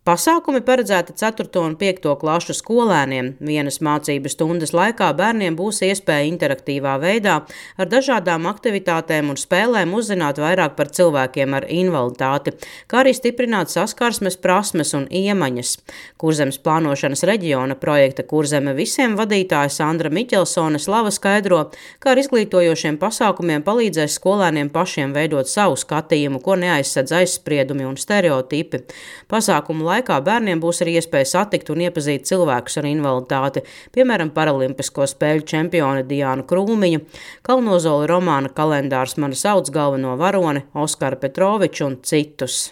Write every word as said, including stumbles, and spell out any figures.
Pasākumi paredzēti ceturto un piekto klašu skolēniem. Vienas mācību stundas laikā bērniem būs iespēja interaktīvā veidā ar dažādām aktivitātēm un spēlēm uzzināt vairāk par cilvēkiem ar invaliditāti, kā arī stiprināt saskarsmes prasmes un iemaņas. Kurzemes plānošanas reģiona projekta Kurzeme visiem vadītāja Sandra Miķelsone slava skaidro, kā ar izglītojošiem pasākumiem palīdzēs skolēniem pašiem veidot savu skatījumu, ko neaizsedz aizspriedumi un stereotipi. Pasākumu laikā bērniem būs arī iespēja satikt un iepazīt cilvēkus ar invaliditāti, piemēram, paralimpisko spēļu čempioni Diānu Krūmiņu, Kalnozoli romāna kalendārs Mana sauc galveno varoni Oskaru Petroviču un citus.